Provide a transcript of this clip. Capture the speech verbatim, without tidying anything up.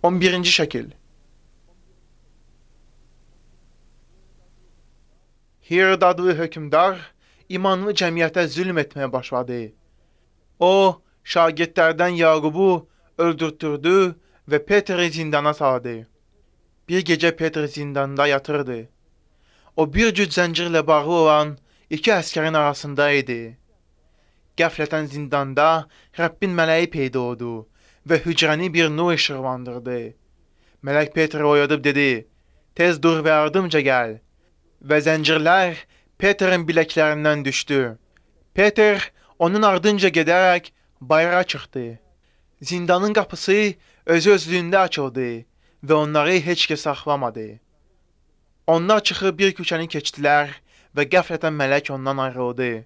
on birinci şəkil. Herod adlı hökmdar imanlı cəmiyyətə zülm etməyə başladı. O, şagirdlərdən Yaqubu öldürtdürdü və Petri zindana saldı. Bir gecə Petri zindanda yatırdı. O bir cüt zəncirlə bağlı olan iki əskərin arasında idi. Qəflətən zindanda Rəbbin mələyi peyda oldu və hücrəni bir nur işıqlandırdı. Mələk Petri oyadıb dedi, tez dur və ardımca gəl. Və zəncirlər Petrin biləklərindən düşdü. Peter onun ardınca gedərək bayıra çıxdı. Zindanın qapısı öz-özlüyündə açıldı və onları heç kəs saxlamadı. Onlar çıxıb bir küçəni keçdilər və qəflətən mələk ondan ayrıldı.